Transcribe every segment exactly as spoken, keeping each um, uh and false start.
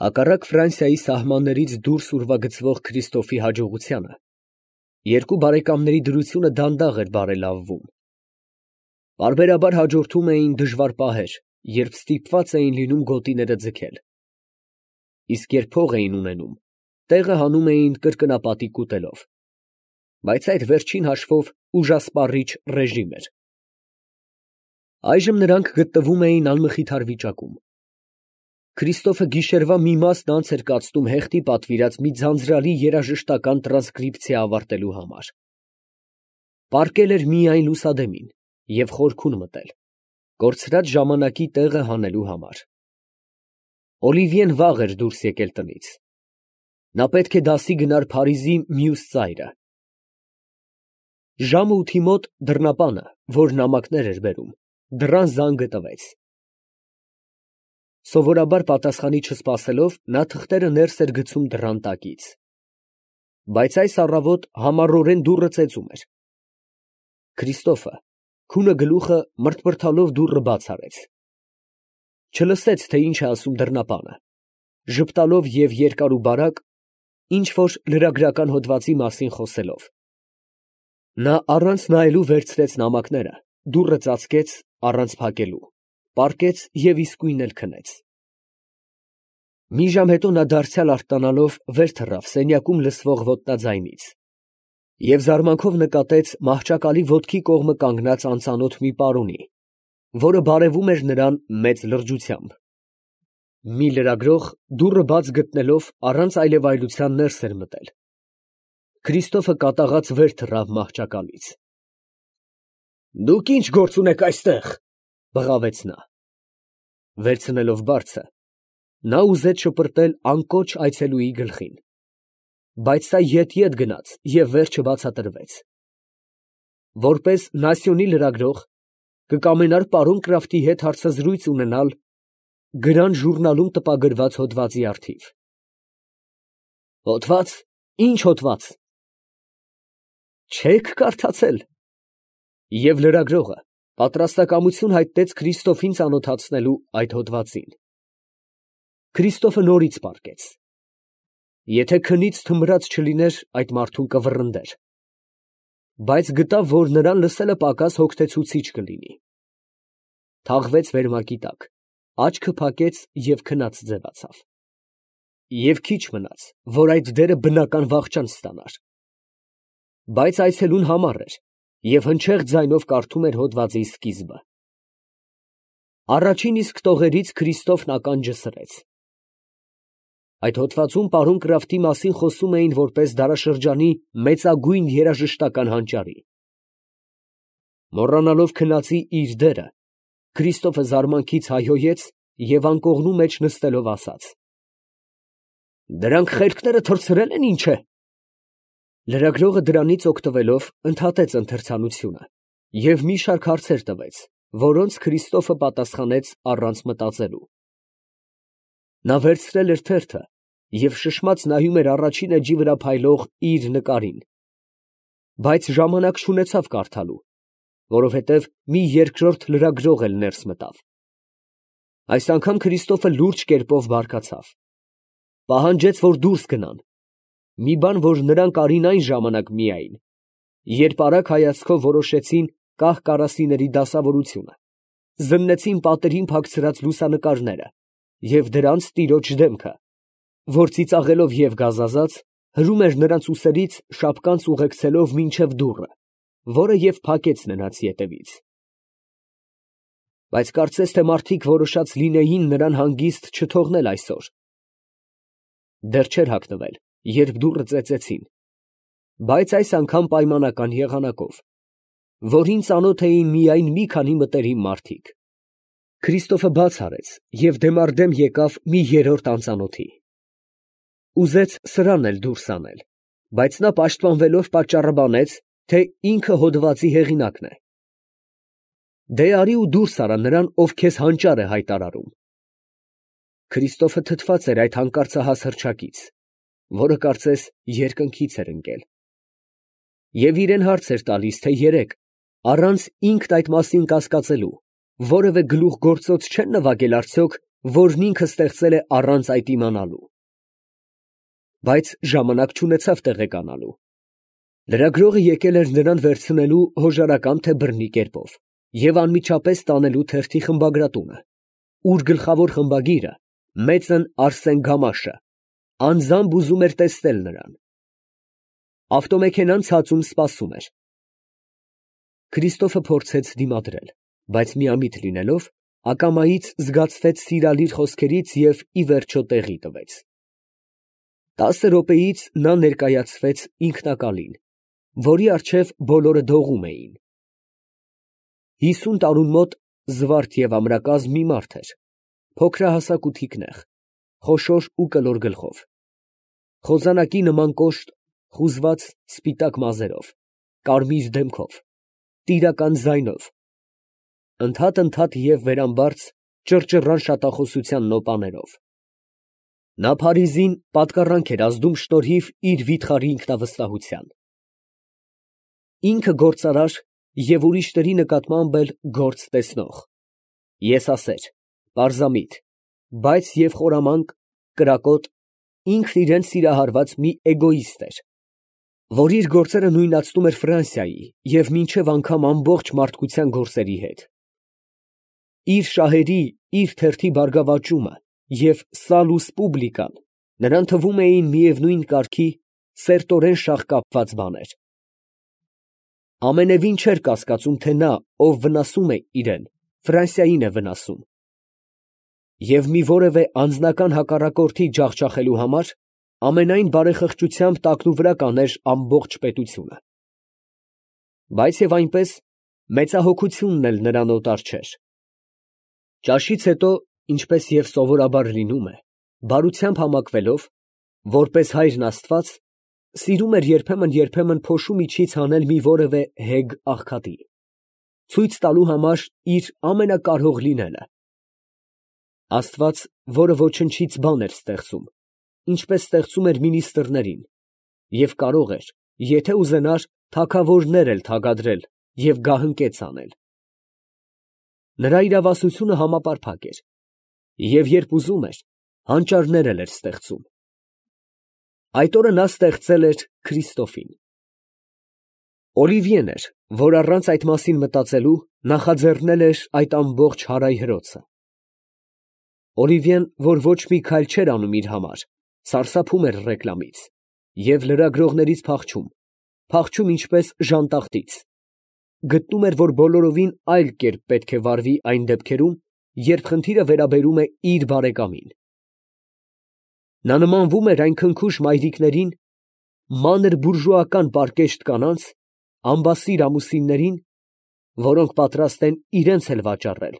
Հակառակ Ֆրանսիայի սահմաններից դուրս ուրվագծվող Քրիստոֆի հաջողությանը, երկու բարեկամների դրությունը դանդաղ էր բարելավվում. պարբերաբար հաջորդում էին դժվար պահեր, երբ ստիպված էին լինում գոտիները ձգել, իսկ երբ փող էին ունենում, տեղը հանում էին կրկնապատիկ ուտելով, բայց այդ վերջին հաշվով ուժասպառիչ ռեժիմ էր։ Այժմ նրանք գտնվում էին անմխիթար վիճակում։ Քրիստոֆը գիշերվա մի մասն անց էր կացնում հեղտի պատվիրած մի ձանձրալի երաժշտական տրանսկրիպցիա ավարտելու համար։ Պառկել էր միայն լուսադեմին և խորքում մտել, կորցրած ժամանակի տեղը հանելու համար։ Օլիվիեն վաղ էր դուրս եկել տնից։ Նա պետք է դասի գնար Փարիզի մյուս ծայրը։ Ժամը ութի մոտ դռնապանը, որ նամակներ էր բերում, դռան զանգը տվեց։ Սովորաբար պատասխանի չսպասելով, նա թղթերը ներս էր գցում դռան տակից։ Բայց այս առավոտ համառորեն դուռը ծեծում էր։ Քրիստոֆը, քունը գլուխը մրթմրթալով դուռը բաց արեց։ Չլսեց, թե ինչ է ասում դռնապանը, ժպտալով և երկար ու բարակ, ինչ֊որ լրագրական հոդվածի մասին խոսելով։ Նա առանց նայելու վերցրեց նամակները, դուռը ծածկեց առանց փակելու, պառկեց և իսկույն էլ քնեց։ Մի ժամ հետո նա դարձյալ արթնանալով վեր թռավ սենյակում լսվող ոտնաձայնից և զարմանքով նկատեց մահճակալի ոտքի կողմը կանգնած անծանոթ մի պարոնի, որը բարևում էր նրան մեծ լրջությամբ։ Մի լրագրող, դուռը բաց գտնելով, առանց այլևայլության ներս էր մտել։ Քրիստոֆը կատաղած վեր թռավ մահճակալից։ ֊ Դուք ի՞նչ գործ ունեք այստեղ, ֊ բղավեց նա։ Վերցնելով բարձը, նա ուզեց շպրտել անկոչ այցելուի գլխին, բայց սա ետ֊ետ գնաց և վերջը բացատրվեց։ Որպես նասյոնի լրագրող, կկամենար պարոն Կրաֆտի հետ հարցազրույց ունենալ Գրան ժուրնալում տպագրված հոդվածի առթիվ։ Հոդվա՞ծ, ի՞նչ հոդված։ Չե՞ք կարդացել։ Եվ լրագրողը պատրաստակամություն հայտնեց Քրիստոֆին ծանոթացնելու այդ հոդվածին։ Քրիստոֆը նորից պառկեց։ Եթե քնից թմրած չլիներ, այդ մարդուն կվռնդեր, բայց գտավ, որ նրան լսելը պակաս հոգնեցուցիչ կլինի։ Թաղվեց վերմակի տակ, աչքը փակեց և քնած ձևացավ։ Եվ քիչ մնաց, որ այդ դերը բնական վախճան ստանար։ Բայց այցելուն համառ էր և հնչեղ ձայնով կարդում էր հոդվածի սկիզբը։ Առաջին իսկ տողերից Քրիստոֆն ականջը սրեց։ Այդ հոդվածում պարոն Կրաֆտի մասին խոսում էին որպես դարաշրջանի մեծագույն երաժշտական հանճարի։ Մոռանալով քնածի իր դերը, Քրիստոֆը զարմանքից հայհոյեց և անկողնու մեջ նստելով ասաց. Դրանք խելքները թռցրել են, ինչ է։ Լրագրողը դրանից օգտվելով ընդհատեց ընթերցանությունը և մի շարք հարցեր տվեց, որոնց Քրիստոֆը պատասխանեց առանց մտածելու։ Նա վերցրել էր թերթը և շշմած նայում էր առաջին էջի վրա փայլող իր նկարին, բայց ժամանակ չունեցավ կարդալու, որովհետև մի երկրորդ լրագրող էլ ներս մտավ։ Այս անգամ Քրիստոֆը լուրջ կերպով բարկացավ։ Պահանջեց, որ դուրս գնան, մի բան, որ նրանք արին այն ժամանակ միայն, երբ արագ հայացքով որոշեցին կահ֊կարասիների դասավորությունը, զննեցին պատերին փակցրած լուսանկարները և դրանց տիրոջ դեմքը, որ ծիծաղելով և գազազած, հրում էր նրանց ուսերից շապկանց ուղեկցելով մինչև դուռը, որը և փակեց նրանց ետևից։ Բայց կարծես թե մարդիկ որոշած լինեին նրան հանգիստ չթողնել այսօր։ Դեռ չէր հագնվել, երբ դուռը ծեծեցին, բայց այս անգամ պայմանական եղանակով, որին ծանոթ էին միայն մի քանի մտերիմ մարդիկ։ Քրիստոֆը բաց արեց և դեմառդեմ եկավ մի երրորդ անծանոթի։ Ուզեց սրանն էլ դուրս անել, բայց նա պաշտպանվելով պատճառաբանեց, թե ինքը հոդվածի հեղինակն է։ Դե արի ու դուրս արա նրան, ով քեզ հանճար է հայտարարում։ Քրիստոֆը թթված էր այդ հանկարծահաս հռչակից, որը կարծես երկնքից էր ընկել, և իրան հարց էր տալիս, թե երեկ, առանց ինքն այդ մասին կասկածելու, որևէ գլուխգործոց չեն նվագել արդյոք որն ինքը ստեղծել է առանց այդ իմանալու։ Բայց ժամանակ չունեցավ տեղեկանալու։ Լրագրողը եկել էր նրան վերցնելու հոժարակամ թե բռնի կերպով և անմիջապես տանելու թերթի խմբագրատունը, ուր գլխավոր խմբագիրը, մեծն Արսեն Գամաշը, անձամբ ուզում էր տեսնել նրան։ Ավտոմեքենան ցածում սպասում էր։ Քրիստոֆը փորձեց դիմադրել, բայց միամիտ լինելով, ակամայից զգացվեց սիրալիր խոսքերից և ի վերջո տեղի տվեց։ Տասը րոպեից նա ներկայացվեց ինքնակալին, որի առջև բոլորը դողում էին։ Հիսուն տարուն մոտ զվարթ և ամրակազմ մի մարդ էր, փոքրահասակ ու թիկնեղ, խոշոր ու կլոր գլխով, խոզանակի նման կոշտ, խուզված սպիտակ մազերով, կարմիր դեմքով, տիրական ձայնով, ընդհատ֊ընդհատ և վերամբարձ ճռճռան շատախոսության նոպաներով։ Նա Փարիզին պատկառանք էր ազդում շնորհիվ իր վիթխարի ինքնավստահության։ Ինքը գործարար և ուրիշների նկատմամբ էլ գործ տեսնող, եսասեր, պարզամիտ, բայց և խորամանկ, կրակոտ, ինքն իրան սիրահարված մի էգոիստ էր, որ իր գործերը նույնացնում էր Ֆրանսիայի և մինչև անգամ ամբողջ մարդկության գործերի հետ։ Իր շահերի, իր թերթի բարգավաճումը և սալուս պուբլիկան նրան թվում էին միևնույն կարգի, սերտորեն շաղկապված բաներ։ Ամենևին չէր կասկածում, թե նա, ով վնասում է իրան, Ֆրանսիային է վնասում, և մի որևէ անձնական հակառակորդի ջախջախելու համար ամենայն բարեխղճությամբ տակնուվրա կաներ ամբողջ պետությունը։ Բայց և այնպես մեծահոգությունն էլ նրան օտար չէր։ Ճաշից հետո, ինչպես և սովորաբար լինում է, բարությամբ համակվելով, որպես հայրն աստված, սիրում էր երբեմն֊երբեմն փոշու միջից հանել մի որևէ հեգ աղքատի, ցույց տալու համար իր ամենակարող լինելը։ Աստված, որը ոչնչից բան էր ստեղծում, ինչպես ստեղծում էր մինիստրներին, և կարող էր, եթե ուզենար, թագավորներ էլ թագադրել և գահընկեց անել։ Նրա իրավասությունը համապարփակ էր, և երբ ուզում էր, հանճարներ էլ էր ստեղծում։ Այդ օրը նա ստեղծել էր Քրիստոֆին։ Օլիվիեն էր, որ առանց այդ մասին մտածելու նախաձեռնել էր այդ ամբողջ հարայ հրոցը։ Օլիվիեն, որ ոչ մի քայլ չէր անում իր համար, սարսափում էր ռեկլամից և լրագրողներից փախչում, փախչում ինչպես ժանտախտից, գտնում էր, որ բոլորովին այլ կերպ պետք է վարվի այն դեպքերում, երբ խնդիրը վերաբերում է իր բարեկամին։ Նա նմանվում էր այն քնքուշ մայրիկներին, մանր բուրժուական պարկեշտ կանանց, ամբասիր ամուսիններին, որոնք պատրաստ են իրանց էլ վաճառել,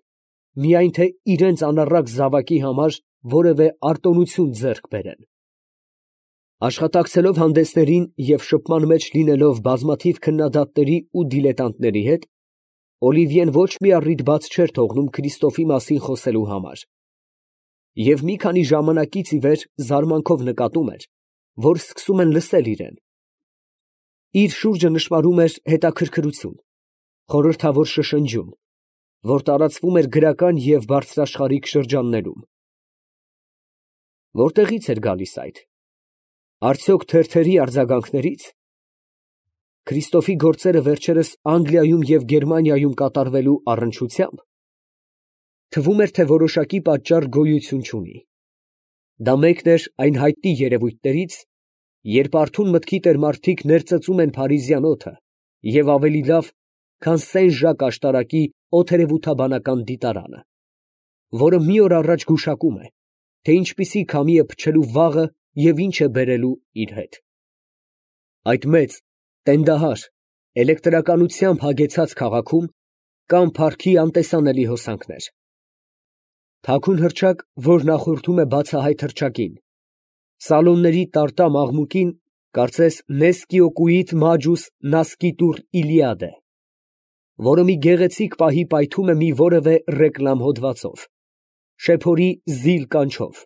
միայն թե իրանց անառակ զավակի համար որևէ արտոնություն ձեռք բերեն։ Աշխատակցելով հանդեսներին և շփման մեջ լինելով բազմաթիվ քննադատների ու դիլետանտների հետ, Օլիվիեն ոչ մի առիթ բաց չէր թողնում Քրիստոֆի մասին խոսելու համար, և մի քանի ժամանակից ի վեր զարմանքով նկատում էր, որ սկսում են լսել իրան։ Իր շուրջը նշմարում էր հետաքրքրություն, խորհրդավոր շշնջյուն, որ տարածվում էր գրական և բարձրաշխարհիկ շրջաններում։ Որտեղի՞ց էր գալիս այդ, արդյոք թերթերի արձագանքների՞ց։ Քրիստոֆի գործերը վերջերս Անգլիայում և Գերմանիայում կատարվելու առնչությամբ։ Թվում էր, թե որոշակի պատճառ գոյություն չունի։ Դա մեկն էր այն հայտնի երևույթներից, երբ արթուն մտքի տերմարդիկ ներծծում են փարիզյան օդը և ավելի լավ, քան Սեն Ժակ աշտարակի օդերևութաբանական դիտարանը, որը մի օր առաջ գուշակում է, թե ինչպիսի քամի է փչելու վաղը և ինչ է բերելու իր հետ։ Այդ մեծ, տենդահար, էլեկտրականությամբ հագեցած քաղաքում կան փառքի անտեսանելի հոսանքներ։ Թաքուն հռչակ, որ նախորդում է բացահայտ հռչակին, սալոնների տարտամ աղմուկին, կարծես նեսկիոկուիդ մաջուս նասկիտուր Իլիադե, որը մի գեղեցիկ պահի պայթում է մի որևէ ռեկլամ հոդվածով, շեփորի զիլ կանչով,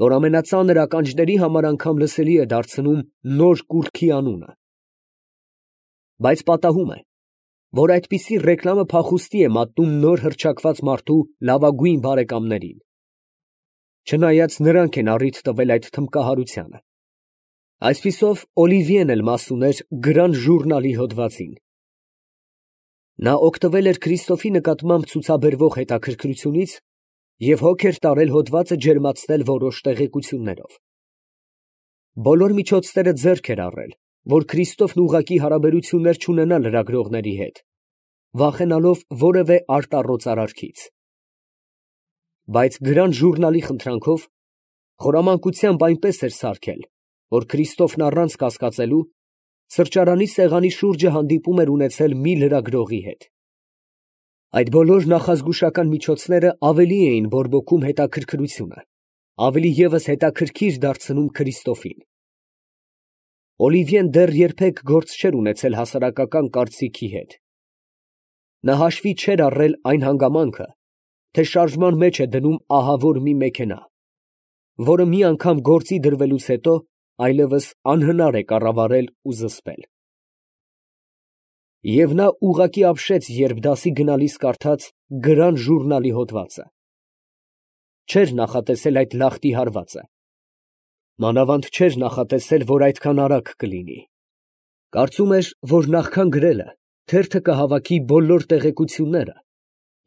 որ ամենածանր ականջների համար անգամ լսելի է դարձնում նոր կուռքի անունը։ Բայց պատահում է, որ այդպիսի ռեկլամը փախուստի է մատնում նոր հռչակված մարդու լավագույն բարեկամներին, չնայած նրանք են առիթ տվել այդ թմբկահարությանը։ Այսպիսով Օլիվիեն էլ մաս ուներ Գրան ժուրնալի հոդվածին։ Նա օգտվել էր Քրիստոֆի նկատմամբ ցուցաբերվող հետաքրքրությունից և հոգ էր տարել հոդվածը ջերմացնել որոշ տեղեկություններով։ Բոլոր միջոցները ձեռք էր առել, որ Քրիստոֆն ուղղակի հարաբերություններ չունենա լրագրողների հետ, վախենալով որևէ արտառոց արարքից։ Բայց Գրան ժուրնալի խնդրանքով խորամանկությամբ այնպես էր սարքել, որ Քրիստոֆն առանց կասկածելու սրճարանի սեղանի շուրջը հանդիպում էր ունեցել մի լրագրողի հետ։ Այդ բոլոր նախազգուշական միջոցները ավելի էին բորբոքում հետաքրքրությունը, ավելի ևս հետաքրքիր դարձնում Քրիստոֆին։ Օլիվիեն դեռ երբեք գործ չէր ունեցել հասարակական կարծիքի հետ։ Նա հաշվի չէր առել այն հանգամանքը, թե շարժման մեջ է դնում ահավոր մի մեքենա, որը մի անգամ գործի դրվելուց հետո այլևս անհնար է կառավարել ու զսպել։ Եվ նա ուղղակի ապշեց, երբ դասի գնալիս կարդաց Գրան ժուրնալի հոդվածը։ Չէր նախատեսել այդ լախտի հարվածը։ Մանավանդ չէր նախատեսել, որ այդքան արագ կլինի։ Կարծում էր, որ նախքան գրելը թերթը կհավաքի բոլոր տեղեկությունները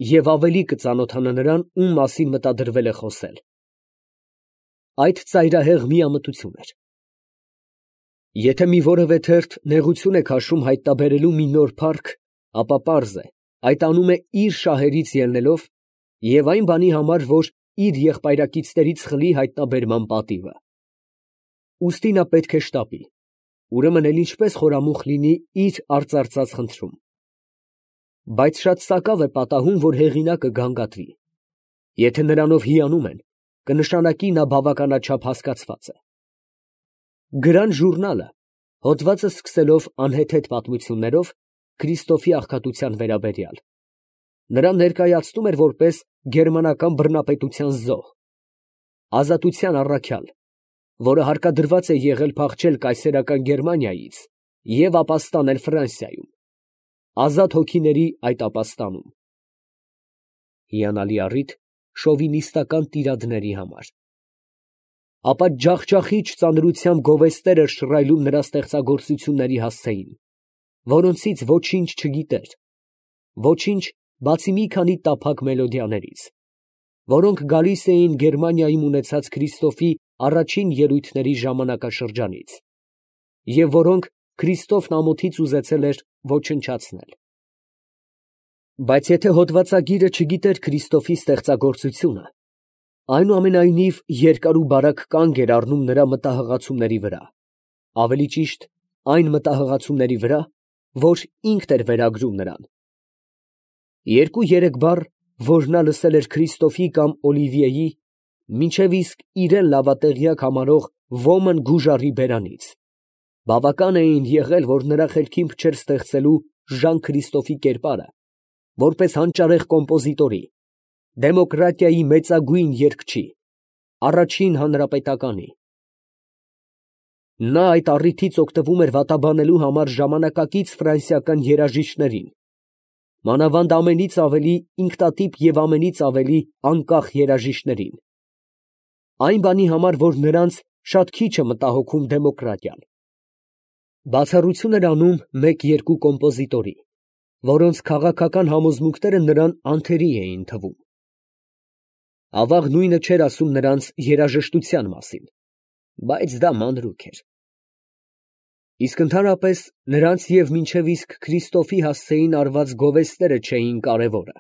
և ավելի կծանոթանա նրան, ում մասին մտադրվել է խոսել։ Այդ ծայրահեղ միամտություն էր։ Եթե մի որևէ թերթ նեղություն է քաշում հայտնաբերելու մի նոր փառք, ապա պարզ է, այդ անում է իր շահերից ելնելով և այն բանի համար, որ իր եղբայրակիցներից խլի հայտնաբերման պատիվը։ Ուստի նա պետք է շտապի, ուրեմն էլ ինչպես խորամուխ լինի իր արծարծած խնդրում։ Բայց շատ սակավ է պատահում, որ հեղինակը գանգատվի։ Եթե նրանով հիանում են, կնշանակի նա բավականաչափ հասկացված է։ Գրան ժուրնալը, հոդվածը սկսելով անհեթեթ պատմություններով Քրիստոֆի աղքատության վերաբերյալ, նրան ներկայացնում էր որպես գերմանական բռնապետության զոհ, ազատության առաքյալ, որը հարկադրված է եղել փախչել կայսերական Գերմանիայից և ապաստանել Ֆրանսիայում, ազատ հոգիների այդ ապաստանում։ Հիանալի առիթ շովինիստական տիրադների համար։ Ապա ջախջախիչ ծանրությամբ գովեստներ էր շռայլում նրա ստեղծագործությունների հասցեին, որոնցից ոչինչ չգիտեր, ոչինչ, բացի մի քանի տափակ մելոդիաներից, որոնք գալիս էին Գերմանիայում ունեցած Քրիստոֆի առաջին ելույթների ժամանակաշրջանից, և որոնք Քրիստոֆն ամոթից ուզեցել էր ոչնչացնել։ Բայց եթե հոդվածագիրը չգիտեր Քրիստոֆի ստեղծագործությունը, այնուամենայնիվ երկար ու բարակ կանգ էր առնում նրա մտահղացումների վրա, ավելի ճիշտ, այն մտահղացումների վրա, որ ինքն էր վերագրում նրան։ Երկու֊երեք բառ, որ նա լսել էր Քրիստոֆի կամ Օլիվիեի, մինչև իսկ իրեն լավատեղյակ համարող ոմն գուժարի բերանից, բավական էին եղել, որ նրա խելքին փչեր ստեղծելու Ժան Քրիստոֆի կերպարը, որպես հանճարեղ կոմպոզիտորի, դեմոկրատիայի մեծագույն երգչի, առաջին հանրապետականի։ Նա այդ առիթից օգտվում էր վատաբանելու համար ժամանակակից ֆրանսիական երաժիշտներին, մանավանդ ամենից ավելի ինքնատիպ և ամենից ավելի անկախ երաժիշտներին, այն բանի համար, որ նրանց շատ քիչ է մտահոգում դեմոկրատիան։ Բացառություն էր անում մեկ֊երկու կոմպոզիտորի, որոնց քաղաքական համոզմունքները նրան անթերի էին թվում։ Ավաղ նույնը չէր ասում նրանց երաժշտության մասին, բայց դա մանրուք էր։ Իսկ ընդհանրապես նրանց և մինչև իսկ Քրիստոֆի հասցեին արված գովեստները չէին կարևորը,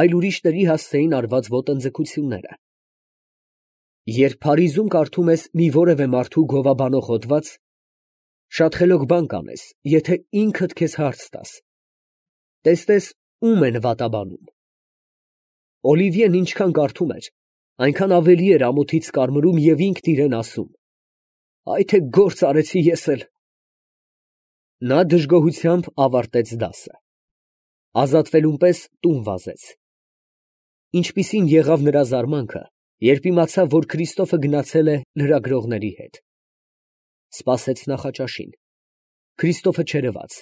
այլ ուրիշների հասցեին արված ոտնձգությունները։ Երբ Փարիզում կարդում ես մի որևէ մարդու գովաբանող հոդված, շատ խելոք բան կանես, եթե ինքդ քեզ հարց տաս. տեսնես ում են վատաբանում։ Օլիվիեն ինչքան կարդում էր, այնքան ավելի էր ամոթից կարմրում և ինքն իրեն ասում. «Այ թե գործ արեցի ես էլ»։ Նա դժգոհությամբ ավարտեց դասը։ Ազատվելուն պես տուն վազեց։ Ինչպիսին եղավ նրա զարմանքը, երբ իմացավ, որ Քրիստոֆը գնացել է լրագրողների հետ։ Սպասեց նախաճաշին։ Քրիստոֆը չերևաց։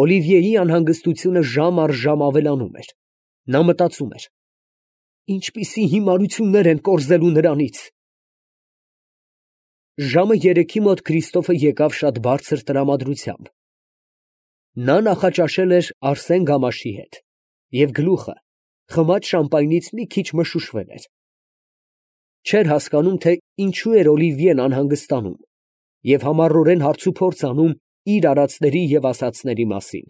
Օլիվիեի անհանգստությունը ժամ առ ժամ ավելանում էր։ Նա մտածում էր. ինչպիսի հիմարություններ են կորզելու նրանից։ Ժամը երեքի մոտ Քրիստոֆը եկավ շատ բարձր տրամադրությամբ. նա նախաճաշել էր Արսեն Գամաշի հետ, և գլուխը խմած շամպայնից մի քիչ մշուշվել էր. չէր հասկանում, թե ինչու էր Օլիվիեն անհանգստանում և համառորեն հարցուփորձ անում իր արածների և ասածների մասին։